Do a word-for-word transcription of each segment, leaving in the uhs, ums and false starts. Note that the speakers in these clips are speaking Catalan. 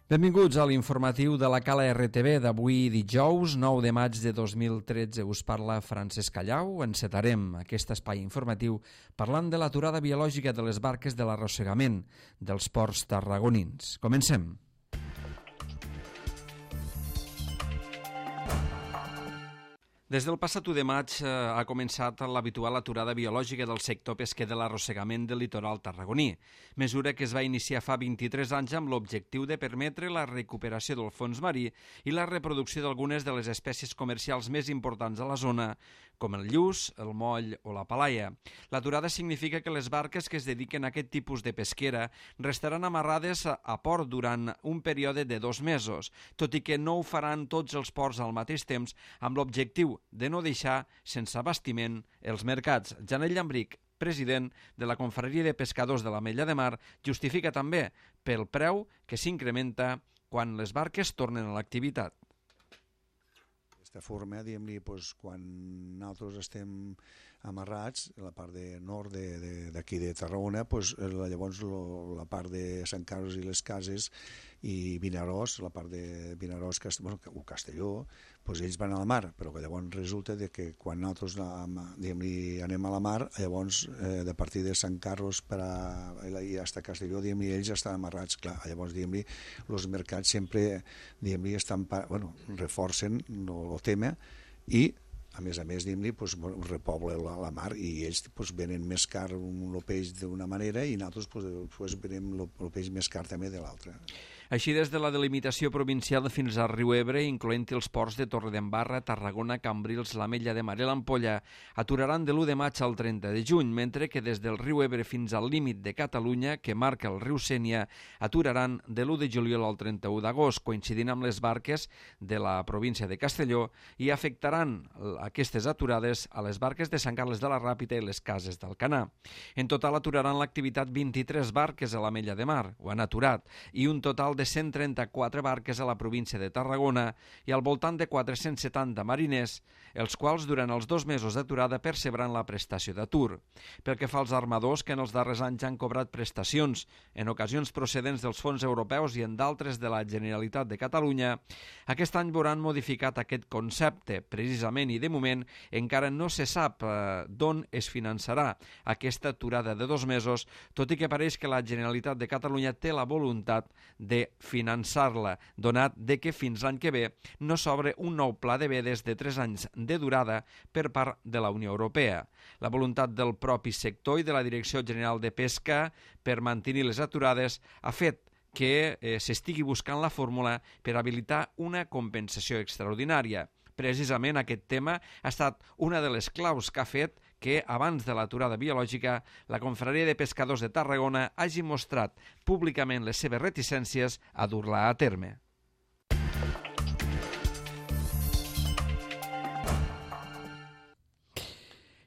Benvinguts a l'informatiu de la Cala R T V d'avui dijous, nou de maig de dos mil tretze. Us parla Francesc Callau. Encetarem aquest espai informatiu parlant de l'aturada biològica de les barques de l'arrossegament dels ports tarragonins. Comencem. Des del passat u de maig eh, ha començat l'habitual aturada biològica del sector pesquer de l'arrossegament del litoral tarragoní, mesura que es va iniciar fa vint-i-tres anys amb l'objectiu de permetre la recuperació del fons marí i la reproducció d'algunes de les espècies comercials més importants a la zona, com el lluç, el moll o la palaia. L'aturada significa que les barques que es dediquen a aquest tipus de pesquera restaran amarrades a port durant un període de dos mesos, tot i que no ho faran tots els ports al mateix temps amb l'objectiu de no deixar sense abastiment els mercats. Janel Llambric, president de la Confraria de Pescadors de l'Ametlla de Mar, justifica també pel preu que s'incrementa quan les barques tornen a l'activitat. D'aquesta forma, diguem-li, doncs, quan nosaltres estem amarrats, la part de nord d'aquí de, de, de Tarragona, doncs, llavors lo, la part de Sant Carles i les Cases i Vinaròs, la part de Vinaròs bueno, o Castelló, doncs ells van a la mar, però que llavors resulta de que quan nosaltres anem a la mar, llavors eh, de partir de Sant Carles per a, i fins a Castelló, ells estan amarrats, clar, llavors els mercats sempre estan, bueno, reforcen el tema i a més a més, diguem-li, pues, repobla la, la mar i ells pues, venen més car el peix d'una manera i nosaltres pues, pues, venem el peix més car també de l'altra. Així, des de la delimitació provincial fins al riu Ebre, incloent els ports de Torredembarra, Tarragona, Cambrils, l'Ametlla de Mar i l'Ampolla, aturaran de l'u de maig al trenta de juny, mentre que des del riu Ebre fins al límit de Catalunya, que marca el riu Sénia, aturaran de l'u de juliol al trenta-u d'agost, coincidint amb les barques de la província de Castelló, i afectaran aquestes aturades a les barques de Sant Carles de la Ràpita i les Cases d'Alcanar. En total aturaran l'activitat vint-i-tres barques a l'Ametlla de Mar, ho han aturat, i un total de cent trenta-quatre barques a la província de Tarragona i al voltant de quatre-cents setanta mariners, els quals durant els dos mesos d'aturada percebran la prestació d'atur. Pel que fa als armadors, que en els darrers anys han cobrat prestacions, en ocasions procedents dels fons europeus i en d'altres de la Generalitat de Catalunya, aquest any veuran modificat aquest concepte, precisament, i de moment encara no se sap eh, d'on es finançarà aquesta aturada de dos mesos, tot i que pareix que la Generalitat de Catalunya té la voluntat de finançar-la, donat de que fins l'any que ve no s'obre un nou pla de vedes de tres anys de durada per part de la Unió Europea. La voluntat del propi sector i de la Direcció General de Pesca per mantenir les aturades ha fet que eh, s'estigui buscant la fórmula per habilitar una compensació extraordinària. Precisament aquest tema ha estat una de les claus que ha fet que, abans de l'aturada biològica, la Confraria de Pescadors de Tarragona hagi mostrat públicament les seves reticències a dur-la a terme.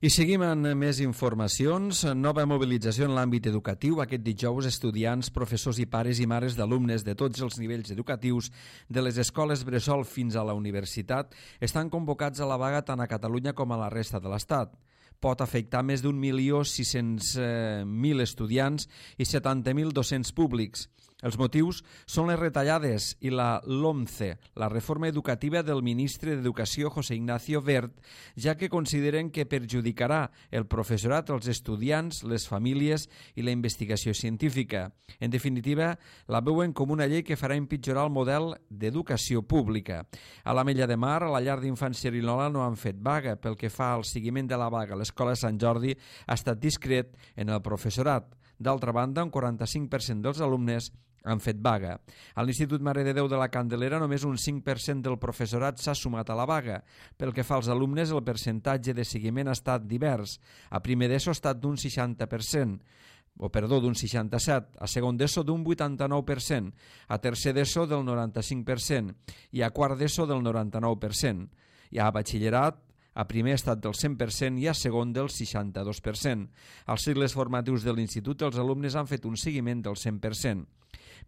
I seguim amb més informacions. Nova mobilització en l'àmbit educatiu. Aquest dijous, estudiants, professors i pares i mares d'alumnes de tots els nivells educatius de les escoles bressol fins a la universitat estan convocats a la vaga tant a Catalunya com a la resta de l'Estat. Pot afectar més d'un milió sis-cents mil estudiants i setanta mil docents públics. Els motius són les retallades i la LOMCE, la reforma educativa del ministre d'Educació José Ignacio Wert, ja que consideren que perjudicarà el professorat, els estudiants, les famílies i la investigació científica. En definitiva, la veuen com una llei que farà empitjorar el model d'educació pública. A l'Ametlla de Mar, a la llar d'infants Xerinola, no han fet vaga. Pel que fa al seguiment de la vaga, l'Escola Sant Jordi ha estat discret en el professorat. D'altra banda, un quaranta-cinc per cent dels alumnes han fet vaga. A l'Institut Mare de Déu de la Candelera només un cinc per cent del professorat s'ha sumat a la vaga. Pel que fa als alumnes, el percentatge de seguiment ha estat divers. A primer d'ESO ha estat d'un seixanta per cent, o perdó, d'un seixanta-set, a segon d'ESO d'un vuitanta-nou per cent, a tercer d'ESO del noranta-cinc per cent i a quart d'ESO del noranta-nou per cent. I a batxillerat, a primer ha estat del cent per cent i a segon del seixanta-dos per cent. Als cicles formatius de l'institut els alumnes han fet un seguiment del cent per cent.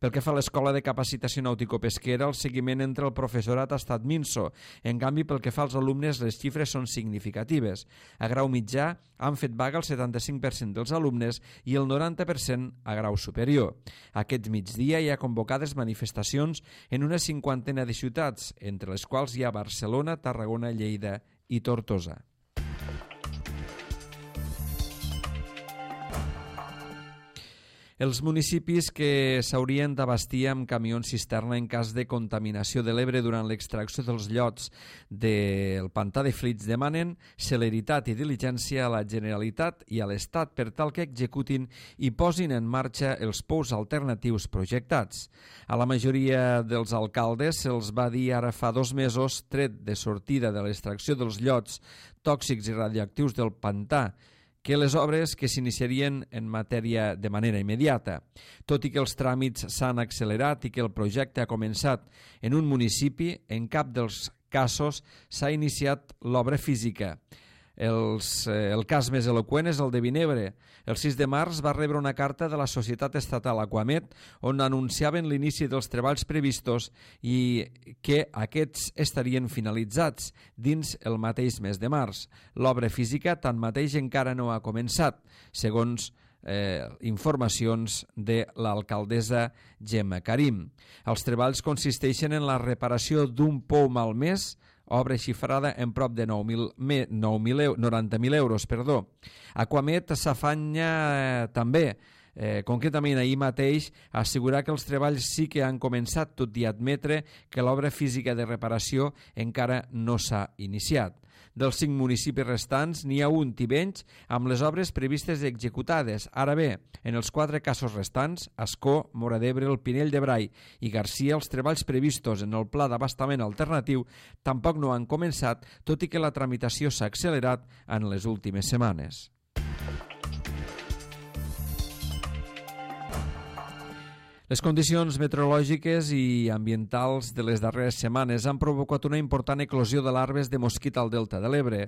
Pel que fa a l'Escola de Capacitació Nàutico-Pesquera, el seguiment entre el professorat ha estat minso. En canvi, pel que fa als alumnes, les xifres són significatives. A grau mitjà han fet vaga el setanta-cinc per cent dels alumnes i el noranta per cent a grau superior. Aquest migdia hi ha convocades manifestacions en una cinquantena de ciutats, entre les quals hi ha Barcelona, Tarragona, Lleida i Tortosa. Els municipis que s'haurien d'abastir amb camions cisterna en cas de contaminació de l'Ebre durant l'extracció dels llots del pantà de Flix demanen celeritat i diligència a la Generalitat i a l'Estat per tal que executin i posin en marxa els pous alternatius projectats. A la majoria dels alcaldes se'ls va dir ara fa dos mesos, tret de sortida de l'extracció dels llots tòxics i radioactius del pantà, que les obres que s'iniciarien en matèria de manera immediata. Tot i que els tràmits s'han accelerat i que el projecte ha començat en un municipi, en cap dels casos s'ha iniciat l'obra física. Els, eh, el cas més eloqüent és el de Vinebre. El sis de març va rebre una carta de la societat estatal Aquamet on anunciaven l'inici dels treballs previstos i que aquests estarien finalitzats dins el mateix mes de març. L'obra física tanmateix encara no ha començat, segons Eh, informacions de l'alcaldessa Gemma Karim. Els treballs consisteixen en la reparació d'un pou malmès, obra xifrada en prop de noranta mil euros. Perdó. Aquamet s'afanya eh, també, eh, concretament ahir mateix, a assegurar que els treballs sí que han començat, tot i admetre que l'obra física de reparació encara no s'ha iniciat. Dels cinc municipis restants n'hi ha un, Tivenys, amb les obres previstes executades. Ara bé, en els quatre casos restants, Ascó, Móra d'Ebre, el Pinell de Brai i Garcia, els treballs previstos en el pla d'abastament alternatiu tampoc no han començat, tot i que la tramitació s'ha accelerat en les últimes setmanes. Les condicions meteorològiques i ambientals de les darreres setmanes han provocat una important eclosió de larves de mosquit al delta de l'Ebre.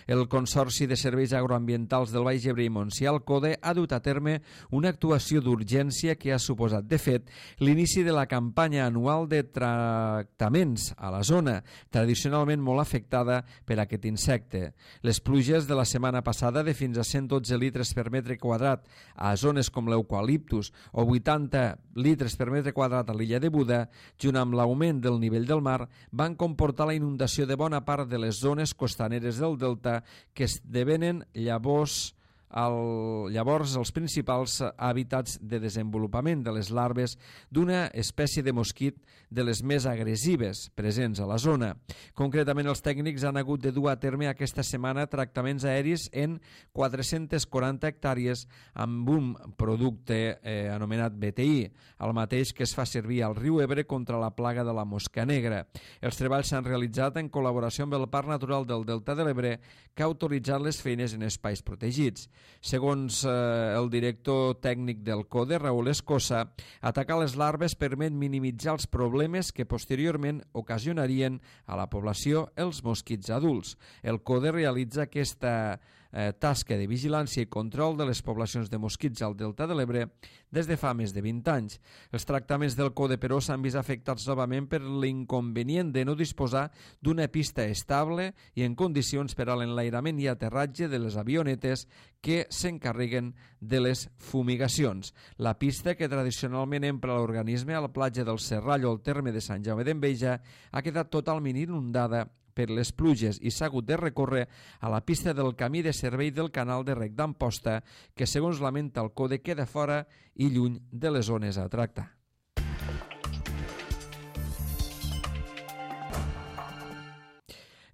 El Consorci de Serveis Agroambientals del Baix Ebre i Montsià, el CODE, ha dut a terme una actuació d'urgència que ha suposat, de fet, l'inici de la campanya anual de tractaments a la zona, tradicionalment molt afectada per aquest insecte. Les pluges de la setmana passada, de fins a cent dotze litres per metre quadrat a zones com l'eucaliptus o vuitanta litres per metre quadrat a l'illa de Buda, junt amb l'augment del nivell del mar, van comportar la inundació de bona part de les zones costaneres del delta, que esdevenen llavors el, llavors els principals hàbitats de desenvolupament de les larves d'una espècie de mosquit de les més agressives presents a la zona. Concretament, els tècnics han hagut de dur a terme aquesta setmana tractaments aeris en quatre-centes quaranta hectàrees amb un producte eh, anomenat B T I, el mateix que es fa servir al riu Ebre contra la plaga de la mosca negra. Els treballs s'han realitzat en col·laboració amb el Parc Natural del Delta de l'Ebre, que ha autoritzat les feines en espais protegits. Segons eh, el director tècnic del CODE, Raúl Escosa, atacar les larves permet minimitzar els problemes que posteriorment ocasionarien a la població els mosquits adults. El CODE realitza aquesta eh, tasca de vigilància i control de les poblacions de mosquits al Delta de l'Ebre des de fa més de vint anys. Els tractaments del CODE, però, s'han vist afectats novament per l'inconvenient de no disposar d'una pista estable i en condicions per a l'enlairament i aterratge de les avionetes que s'encarreguen de les fumigacions. La pista, que tradicionalment empra l'organisme a la platja del Serrallo al terme de Sant Jaume d'Enveja, ha quedat totalment inundada per les pluges i s'ha hagut de recórrer a la pista del camí de servei del canal de rec d'Amposta, que, segons lamenta el CODE, queda fora i lluny de les zones a tractar.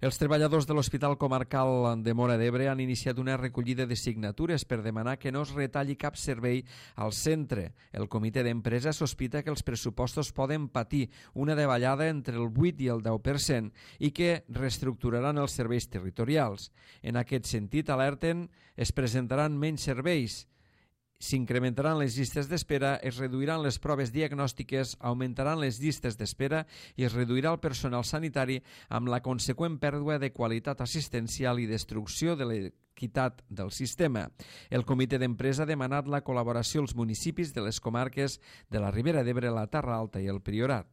Els treballadors de l'Hospital Comarcal de Móra d'Ebre han iniciat una recollida de signatures per demanar que no es retalli cap servei al centre. El comitè d'empresa sospita que els pressupostos poden patir una davallada entre el vuit i el deu per cent i que reestructuraran els serveis territorials. En aquest sentit, alerten, es presentaran menys serveis S'incrementaran les llistes d'espera, es reduiran les proves diagnòstiques, augmentaran les llistes d'espera i es reduirà el personal sanitari amb la conseqüent pèrdua de qualitat assistencial i destrucció de l'equitat del sistema. El comitè d'empresa ha demanat la col·laboració als municipis de les comarques de la Ribera d'Ebre, la Terra Alta i el Priorat.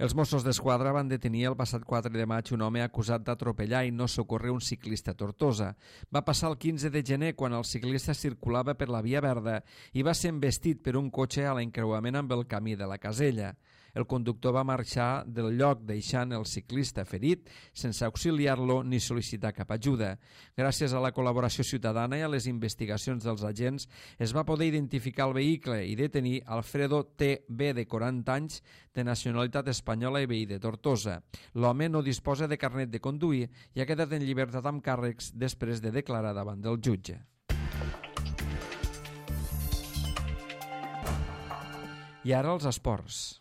Els Mossos d'Esquadra van detenir el passat quatre de maig un home acusat d'atropellar i no socórrer un ciclista a Tortosa. Va passar el quinze de gener quan el ciclista circulava per la Via Verda i va ser embestit per un cotxe a l'encreuament amb el camí de la Casella. El conductor va marxar del lloc deixant el ciclista ferit sense auxiliar-lo ni sol·licitar cap ajuda. Gràcies a la col·laboració ciutadana i a les investigacions dels agents es va poder identificar el vehicle i detenir Alfredo T B de quaranta anys de nacionalitat espanyola i veí de Tortosa. L'home no disposa de carnet de conduir i ha quedat en llibertat amb càrrecs després de declarar davant del jutge. I ara els esports.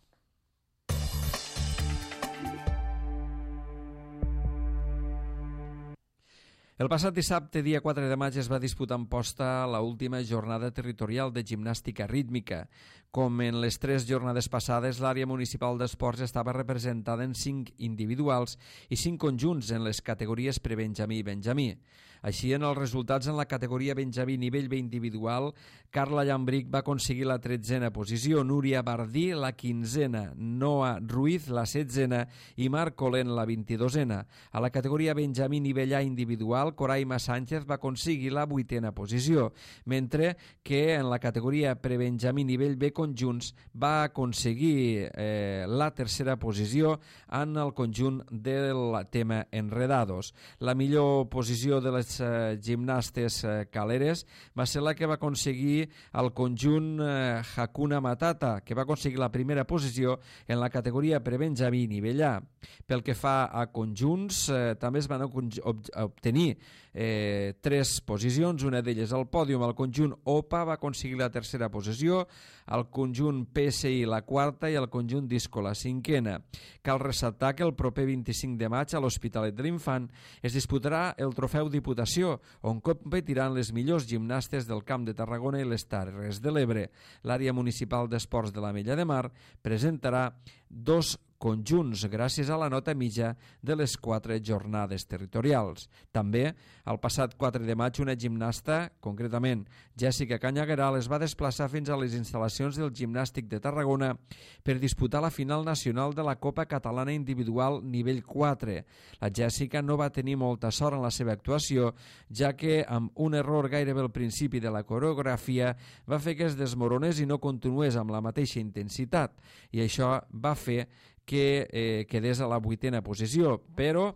El passat dissabte, dia quatre de maig, es va disputar en Posta l'última jornada territorial de gimnàstica rítmica. Com en les tres jornades passades, l'àrea municipal d'esports estava representada en cinc individuals i cinc conjunts en les categories prebenjamí i benjamí. Així, en els resultats en la categoria benjamí nivell B individual, Carla Llambric va aconseguir la tretzena posició, Núria Bardí la quinzena, Noa Ruiz la setzena i Marc Colent la vint-i-dosena. A la categoria benjamí nivell A individual, Coraima Sánchez va aconseguir la vuitena posició, mentre que en la categoria prebenjamí nivell B conjunts va aconseguir eh, la tercera posició en el conjunt del tema Enredados. La millor posició de les eh, gimnastes eh, caleres va ser la que va aconseguir el conjunt eh, Hakuna Matata, que va aconseguir la primera posició en la categoria prebenjamí nivell A. Pel que fa a conjunts, eh, també es van obtenir eh, tres posicions, una d'elles al pòdium. El conjunt O P A va aconseguir la tercera posició, el conjunt P S I la quarta i el conjunt Disco la cinquena. Cal ressaltar que el proper vint-i-cinc de maig a l'Hospitalet de l'Infant es disputarà el Trofeu Diputació, on competiran les millors gimnastes del Camp de Tarragona i les Terres de l'Ebre. L'àrea municipal d'esports de l'Ametlla de Mar presentarà dos conjunts gràcies a la nota mitja de les quatre jornades territorials. També, el passat quatre de maig, una gimnasta, concretament Jèssica Canyagueral, es va desplaçar fins a les instal·lacions del Gimnàstic de Tarragona per disputar la final nacional de la Copa Catalana Individual nivell quatre. La Jèssica no va tenir molta sort en la seva actuació, ja que amb un error gairebé al principi de la coreografia va fer que es desmoronés i no continués amb la mateixa intensitat, i això va fer que eh, quedés a la vuitena posició, però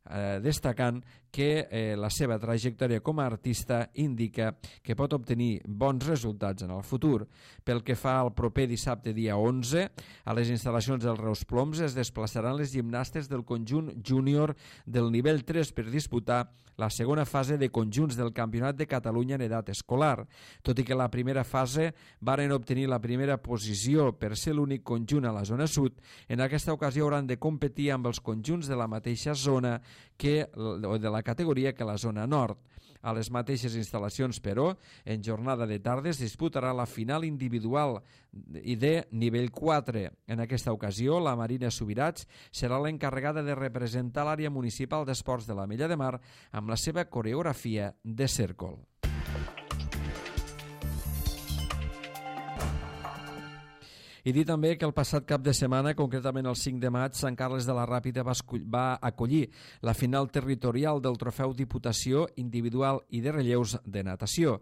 eh, destacant que eh, la seva trajectòria com a artista indica que pot obtenir bons resultats en el futur. Pel que fa al proper dissabte dia onze, a les instal·lacions del Reus Ploms es desplaçaran les gimnastes del conjunt júnior del nivell tres per disputar la segona fase de conjunts del Campionat de Catalunya en edat escolar. Tot i que la primera fase varen obtenir la primera posició per ser l'únic conjunt a la zona sud, en aquesta ocasió hauran de competir amb els conjunts de la mateixa zona que, o de la categoria que la zona nord. A les mateixes instal·lacions, però, en jornada de tardes disputarà la final individual i de nivell quatre. En aquesta ocasió, la Marina Subirats serà l'encarregada de representar l'àrea municipal d'esports de l'Ametlla de Mar amb la seva coreografia de cèrcol. I dir també que el passat cap de setmana, concretament el cinc de maig, Sant Carles de la Ràpita va, va acollir la final territorial del Trofeu Diputació individual i de relleus de natació.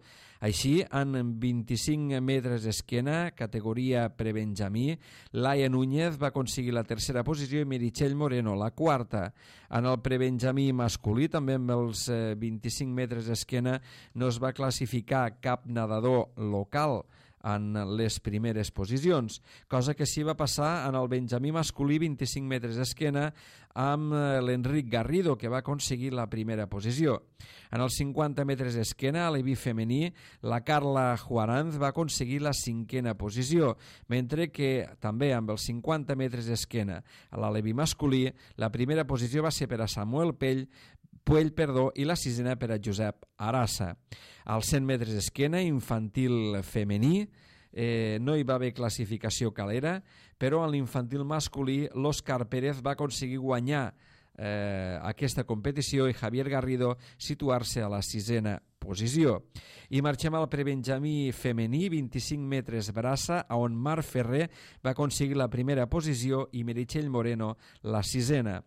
Així, en vint-i-cinc metres d'esquena, categoria prebenjamí, Laia Núñez va aconseguir la tercera posició i Meritxell Moreno la quarta. En el prebenjamí masculí, també amb els vint-i-cinc metres d'esquena, no es va classificar cap nedador local en les primeres posicions, cosa que sí va passar en el benjamí masculí vint-i-cinc metres d'esquena amb l'Enric Garrido, que va aconseguir la primera posició. En els cinquanta metres d'esquena, a l'E V I femení, la Carla Juaranz va aconseguir la cinquena posició, mentre que també amb els cinquanta metres d'esquena a l'E V I masculí, la primera posició va ser per a Samuel Pell, Puell, perdó, i la sisena per a Josep Arassa. Als cent metres esquena, infantil femení, eh, no hi va haver classificació calera, però en l'infantil masculí l'Òscar Pérez va aconseguir guanyar eh, aquesta competició i Javier Garrido situar-se a la sisena posició. I marxem al prebenjamí femení, vint-i-cinc metres braça, on Marc Ferrer va aconseguir la primera posició i Meritxell Moreno la sisena.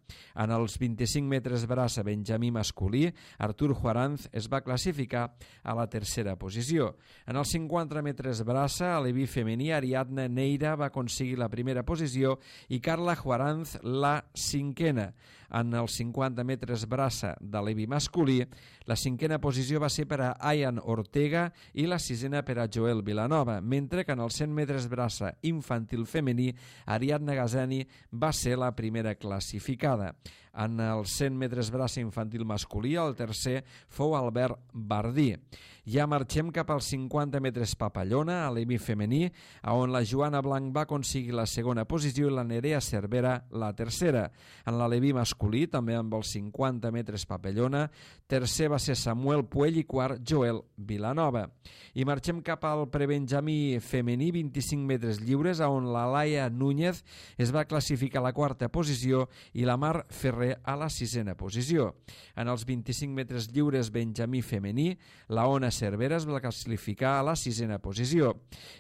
En els vint-i-cinc metres braça benjamí masculí, Artur Juaranz es va classificar a la tercera posició. En els cinquanta metres braça, a l'Evi femení, Ariadna Neira va aconseguir la primera posició i Carla Juaranz la cinquena. En els cinquanta metres braça de l'Evi masculí, la cinquena posició va ser per a Ayan Ortega i la sisena per a Joel Vilanova, mentre que en els cent metres braça infantil femení, Ariadna Gazani va ser la primera classificada. En els cent metres braça infantil masculí, el tercer fou Albert Bardí. Ja marxem cap als cinquanta metres papallona, a l'Emi femení, on la Joana Blanc va aconseguir la segona posició i la Nerea Cervera la tercera. En l'Aleví masculí, també amb els cinquanta metres papallona, tercer va ser Samuel Puell i quart Joel Vilanova. I marxem cap al prebenjamí femení, vint-i-cinc metres lliures, on la Laia Núñez es va classificar a la quarta posició i la Mar Ferrer a la sisena posició. En els vint-i-cinc metres lliures benjamí femení, la Ona Cervera es va classificar a la sisena posició.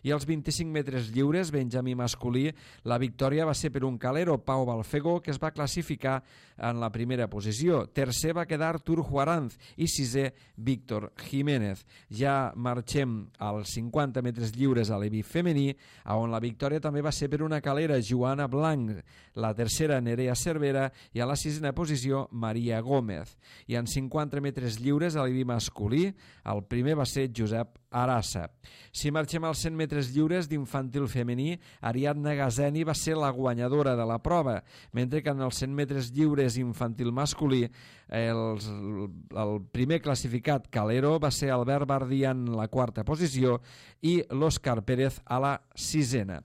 I als vint-i-cinc metres lliures benjamí masculí, la victòria va ser per un calero, Pau Balfego, que es va classificar en la primera posició. Tercer va quedar Artur Juaranz i sisè Víctor Jiménez. Ja marxem als cinquanta metres lliures a l'Evi femení, on la victòria també va ser per una calera, Joana Blanc, la tercera Nerea Cervera i a la sisena posició Maria Gómez. I en cinquanta metres lliures a l'Evi masculí, el primer va ser Josep Arassa. Si marxem als cent metres lliures d'infantil femení, Ariadna Gazeni va ser la guanyadora de la prova, mentre que en els cent metres lliures infantil masculí els, el primer classificat Calero va ser Albert Bardí en la quarta posició i l'Òscar Pérez a la sisena.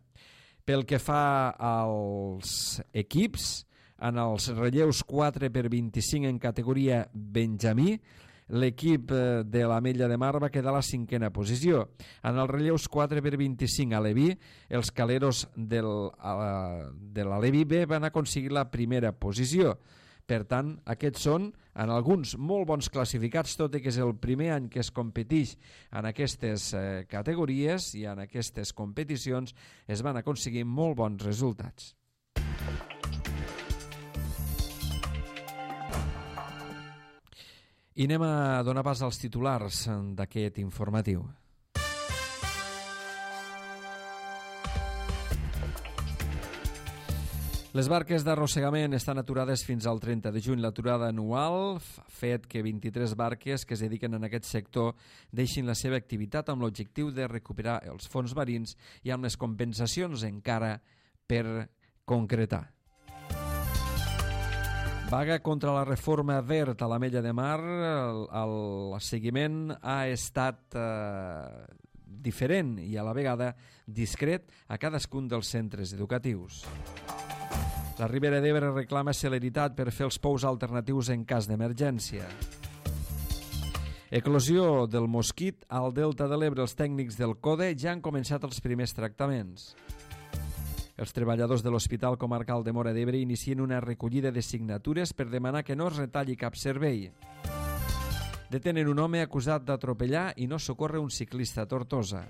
Pel que fa als equips, en els relleus quatre per vint-i-cinc en categoria benjamí, l'equip de l'Ametlla de Mar va quedar a la cinquena posició. En els relleus quatre per vint-i-cinc a l'Evi, els caleros del, de l'Alevi B van aconseguir la primera posició. Per tant, aquests són, en alguns, molt bons classificats, tot i que és el primer any que es competeix en aquestes eh, categories i en aquestes competicions es van aconseguir molt bons resultats. I anem a donar pas als titulars d'aquest informatiu. Les barques d'arrossegament estan aturades fins al trenta de juny. L'aturada anual ha fet que vint-i-tres barques que es dediquen en aquest sector deixin la seva activitat amb l'objectiu de recuperar els fons marins i amb les compensacions encara per concretar. Vaga contra la reforma verd a l'Ametlla de Mar. El, el seguiment ha estat eh, diferent i a la vegada discret a cadascun dels centres educatius. La Ribera d'Ebre reclama celeritat per fer els pous alternatius en cas d'emergència. Eclosió del mosquit al Delta de l'Ebre. Els tècnics del CODE ja han començat els primers tractaments. Els treballadors de l'Hospital Comarcal de Móra d'Ebre inicien una recollida de signatures per demanar que no es retalli cap servei. Detenen un home acusat d'atropellar i no socórrer un ciclista a Tortosa.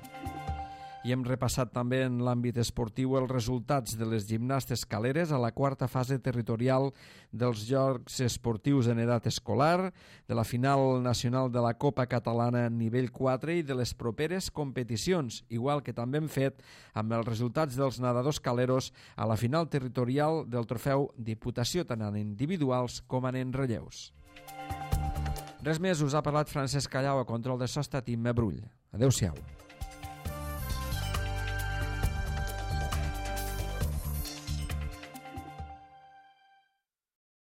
I hem repassat també en l'àmbit esportiu els resultats de les gimnastes caleres a la quarta fase territorial dels Jocs Esportius en edat escolar, de la final nacional de la Copa Catalana nivell quatre i de les properes competicions, igual que també hem fet amb els resultats dels nedadors caleros a la final territorial del trofeu Diputació, tant en individuals com en relleus. Res més, us ha parlat Francesc Callau, a control de so ha estat Imma Brull. Adéu-siau.